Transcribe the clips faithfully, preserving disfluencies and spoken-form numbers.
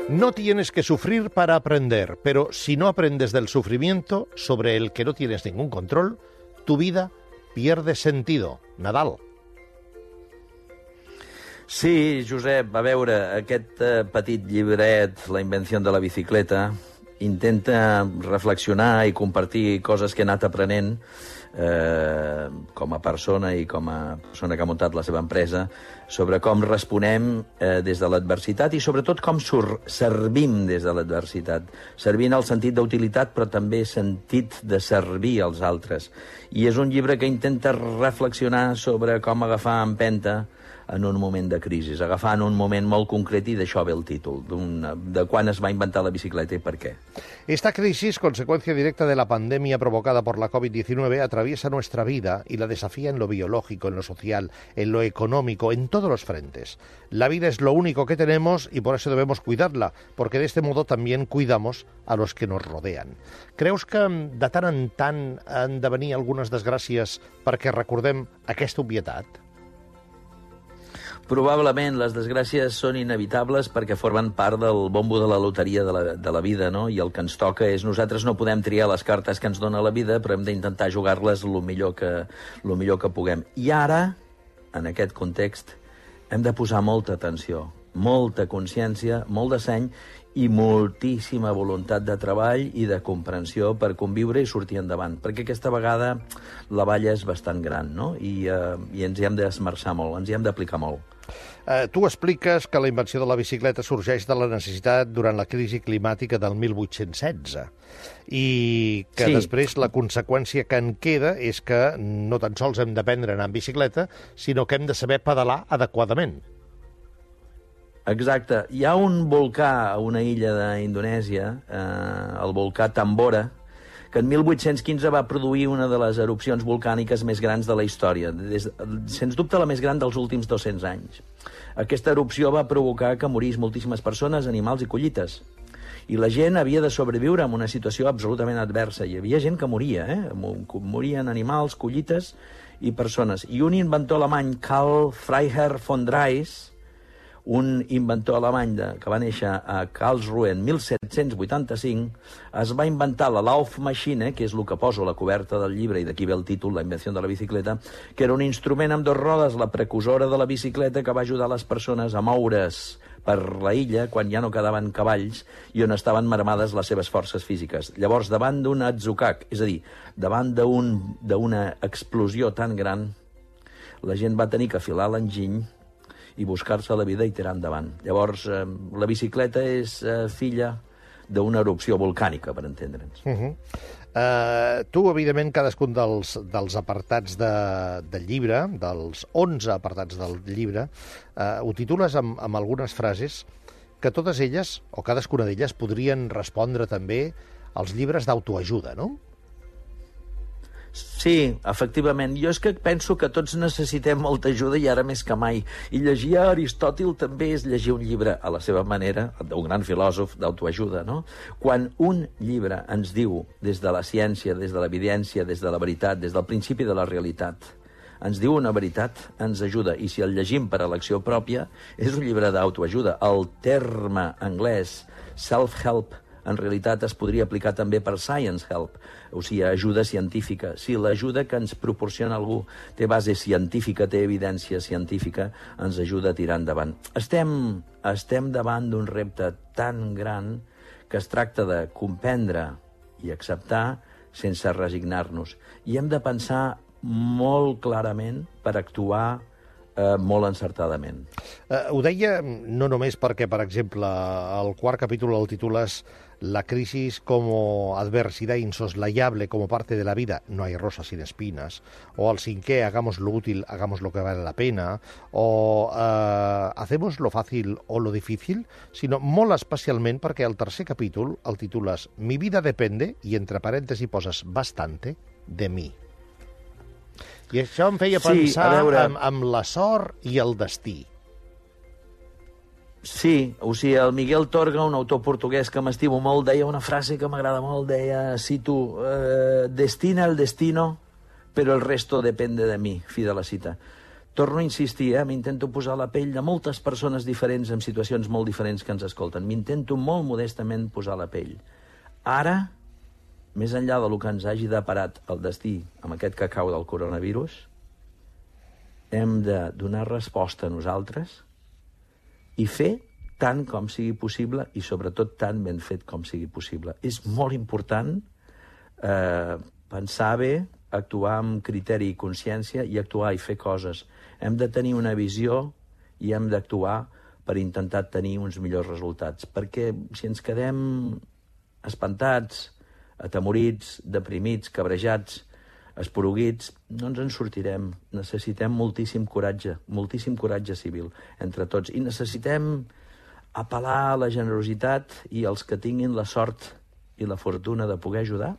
No tienes que sufrir para aprender, pero si no aprendes del sufrimiento sobre el que no tienes ningún control, tu vida pierde sentido. Nadal. Sí, Josep, a veure, aquest eh, petit llibret, La invenció de la bicicleta, intenta reflexionar i compartir coses que he anat aprenent eh, com a persona i com a persona que ha muntat la seva empresa sobre com responem eh, des de l'adversitat i sobretot com servim des de l'adversitat. Servir en el sentit d'utilitat, però també sentit de servir als altres. I és un llibre que intenta reflexionar sobre com agafar empenta en un moment de crisi, agafant un moment molt concret, i d'això ve el títol, de quan es va inventar la bicicleta y por qué. Esta crisis, consecuencia directa de la pandemia provocada por la COVID diecinueve, atraviesa nuestra vida y la desafía en lo biológico, en lo social, en lo económico, en todos los frentes. La vida es lo único que tenemos y por eso debemos cuidarla, porque de este modo también cuidamos a los que nos rodean. Creus que de tant en tant han de venir algunes desgràcies perquè recordem aquesta obvietat? Probablement les desgràcies són inevitables perquè formen part del bombo de la loteria de la, de la vida, no? I el que ens toca és, nosaltres no podem triar les cartes que ens dona la vida, però hem d'intentar jugar-les el millor que, lo millor que puguem. I ara, en aquest context, hem de posar molta atenció, molta consciència, molt de seny i moltíssima voluntat de treball i de comprensió per conviure i sortir endavant, perquè aquesta vegada la balla és bastant gran, no? I, eh, i ens hi hem d'esmerçar molt, ens hi hem d'aplicar molt. Eh, tu expliques que la invenció de la bicicleta sorgeix de la necessitat durant la crisi climàtica del mil vuit-cents setze i que sí. Després la conseqüència que en queda és que no tan sols hem d'aprendre a anar en bicicleta, sinó que hem de saber pedalar adequadament. Exacte. Hi ha un volcà a una illa d'Indonèsia, eh, el volcà Tambora, que en mil vuit-cents quinze va produir una de les erupcions volcàniques més grans de la història, des, sens dubte la més gran dels últims dos-cents anys. Aquesta erupció va provocar que morís moltíssimes persones, animals i collites. I la gent havia de sobreviure en una situació absolutament adversa. Hi havia gent que moria, eh? Morien animals, collites i persones. I un inventor alemany, Karl Freiherr von Drais, un inventor alemany de, que va néixer a Karlsruhe en mil set-cents vuitanta-cinc, es va inventar la Laufmaschine, que és el que poso a la coberta del llibre, i d'aquí ve el títol, La invenció de la bicicleta, que era un instrument amb dos rodes, la precursora de la bicicleta, que va ajudar les persones a moure's per la illa quan ja no quedaven cavalls i on estaven marmades les seves forces físiques. Llavors, davant d'un atzucac, és a dir, davant d'una explosió tan gran, la gent va tenir que afilar l'enginy i buscar-se la vida i tirar endavant. Llavors, eh, la bicicleta és eh, filla d'una erupció volcànica, per entendre'ns. Uh -huh. uh, tu, evidentment, cadascun dels, dels apartats de, del llibre, dels onze apartats del llibre, uh, ho titules amb, amb algunes frases que totes elles, o cadascuna d'elles, podrien respondre també als llibres d'autoajuda, no? Sí, efectivament. Jo és que penso que tots necessitem molta ajuda i ara més que mai. I llegir a Aristòtil també és llegir un llibre a la seva manera, d'un gran filòsof d'autoajuda, no? Quan un llibre ens diu, des de la ciència, des de l'evidència, des de la veritat, des del principi de la realitat, ens diu una veritat, ens ajuda. I si el llegim per elecció pròpia, és un llibre d'autoajuda. El terme anglès self-help en realitat es podria aplicar també per science help, o sigui, ajuda científica. Si l'ajuda que ens proporciona algú té base científica, té evidència científica, ens ajuda a tirar endavant. Estem, estem davant d'un repte tan gran que es tracta de comprendre i acceptar sense resignar-nos. I hem de pensar molt clarament per actuar Eh, molt encertadament. Eh, ho deia no només perquè, per exemple, el quart capítol el titules La crisis como adversidad insoslayable como parte de la vida, no hay rosas sin espinas, o el cinquè, hagamos lo útil, hagamos lo que vale la pena, o eh, hacemos lo fácil o lo difícil, sinó molt especialment perquè el tercer capítol el titules Mi vida depende, i entre parèntesis poses bastante, de mi. I això em feia pensar sí, veure... amb, amb la sort i el destí. Sí, o sigui, el Miguel Torga, un autor portuguès que m'estimo molt, deia una frase que m'agrada molt, deia, cito, eh, destina el destino, però el resto depende de mi, fi de la cita. torno a insistir, eh? m'intento posar la pell de moltes persones diferents en situacions molt diferents que ens escolten. M'intento molt modestament posar la pell. Ara, més enllà del que ens hagi deparat el destí amb aquest cacau del coronavirus, hem de donar resposta a nosaltres i fer tant com sigui possible i, sobretot, tan ben fet com sigui possible. És molt important eh, pensar bé, actuar amb criteri i consciència i actuar i fer coses. Hem de tenir una visió i hem d'actuar per intentar tenir uns millors resultats. Perquè si ens quedem espantats, atemorits, deprimits, cabrejats, esporuguits, no ens en sortirem. Necessitem moltíssim coratge, moltíssim coratge civil entre tots. I necessitem apel·lar a la generositat i els que tinguin la sort i la fortuna de poder ajudar,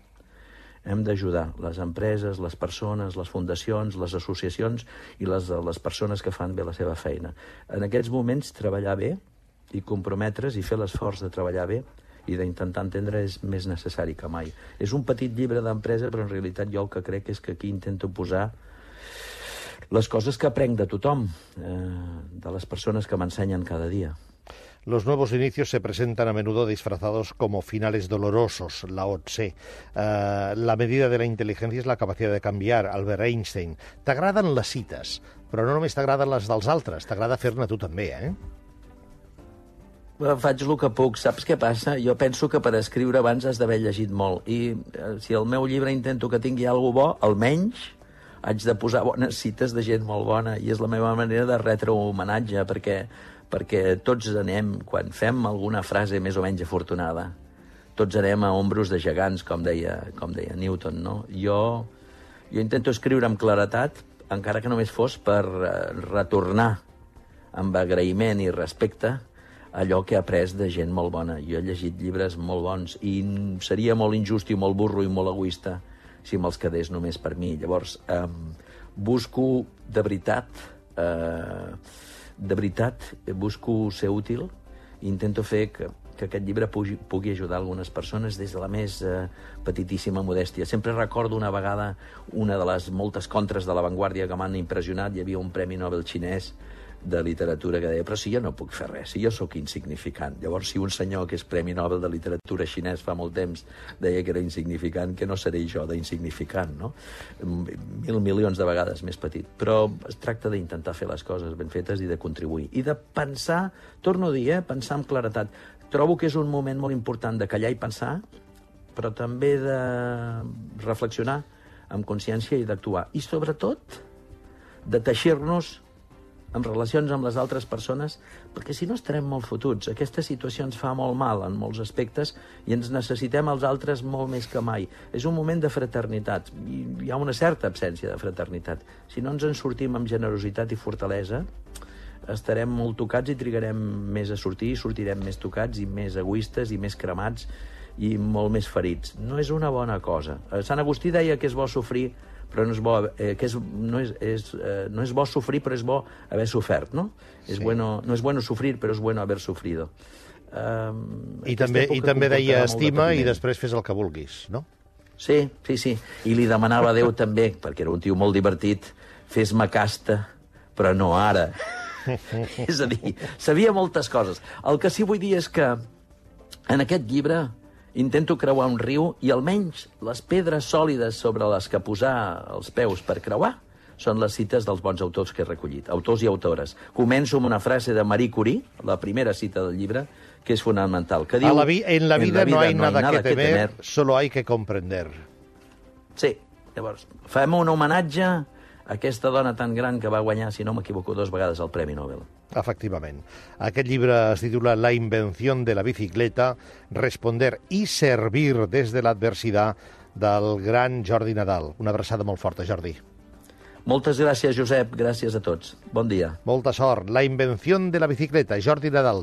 hem d'ajudar les empreses, les persones, les fundacions, les associacions i les, les persones que fan bé la seva feina. En aquests moments, treballar bé i comprometre's i fer l'esforç de treballar bé i d'intentar entendre és més necessari que mai. És un petit llibre d'empresa, però en realitat jo el que crec és que aquí intento posar les coses que aprenc de tothom, eh, de les persones que m'ensenyen cada dia. Los nuevos inicios se presentan a menudo disfrazados como finales dolorosos, Lao Tse. Uh, la medida de la inteligencia es la capacidad de canviar, Albert Einstein. T'agraden les cites, però no només t'agraden les dels altres, t'agrada fer-ne tu també, eh? Faig el que puc. Saps què passa? Jo penso que per escriure abans has d'haver llegit molt. I eh, si el meu llibre intento que tingui alguna bo, almenys haig de posar bones cites de gent molt bona. I és la meva manera de retre homenatge, perquè perquè tots anem, quan fem alguna frase més o menys afortunada, tots anem a ombros de gegants, com deia, com deia Newton, no? Jo, jo intento escriure amb claretat, encara que només fos per retornar amb agraïment i respecte allò que he après de gent molt bona. Jo he llegit llibres molt bons i seria molt injust i molt burro i molt egoista si me'ls quedés només per mi. Llavors, eh, busco de veritat... Eh, de veritat, busco ser útil i intento fer que, que aquest llibre pugui, pugui ajudar algunes persones des de la més eh, petitíssima modèstia. Sempre recordo una vegada una de les moltes contres de l'avantguàrdia que m'han impressionat. Hi havia un Premi Nobel xinès de literatura que deia, però si jo no puc fer res, si jo sóc insignificant. Llavors, si un senyor que és Premi Nobel de literatura xinès fa molt temps deia que era insignificant, que no seré jo d'insignificant, no? Mil milions de vegades més petit. Però es tracta d'intentar fer les coses ben fetes i de contribuir. I de pensar, torno a dir, eh, pensar amb claretat. Trobo que és un moment molt important de callar i pensar, però també de reflexionar amb consciència i d'actuar. I, sobretot, de teixir-nos en relacions amb les altres persones, perquè si no estarem molt fotuts. Aquesta situació ens fa molt mal en molts aspectes i ens necessitem els altres molt més que mai. És un moment de fraternitat. I hi ha una certa absència de fraternitat. Si no ens en sortim amb generositat i fortalesa, estarem molt tocats i trigarem més a sortir, i sortirem més tocats i més egoistes i més cremats i molt més ferits. No és una bona cosa. Sant Agustí deia que és bo sofrir, però no és bo, eh, que és, no, és, és, eh, no és bo sofrir, però és bo haver sofert, no? Sí. És bueno, no és bueno sofrir, però és bueno haver sofrido. Um, I també, i també deia estima i després fes el que vulguis, no? Sí, sí, sí. I li demanava a Déu també, perquè era un tio molt divertit, fes-me casta, però no ara. És a dir, sabia moltes coses. El que sí vull dir és que en aquest llibre intento creuar un riu i almenys les pedres sòlides sobre les que posar els peus per creuar són les cites dels bons autors que he recollit, autors i autores. Començo amb una frase de Marie Curie, la primera cita del llibre, que és fonamental, que diu... A la vi en la vida, en la vida no hay no nada, nada que, temer, que temer, solo hay que comprender. Sí, llavors, fem un homenatge a aquesta dona tan gran que va guanyar, si no m'equivoco, dos vegades el Premi Nobel. Efectivament. Aquest llibre es titula La invención de la bicicleta, responder y servir desde la adversidad, del gran Jordi Nadal. Una abraçada molt forta, Jordi. Moltes gràcies, Josep. Gràcies a tots. Bon dia. Molta sort. La invención de la bicicleta, Jordi Nadal.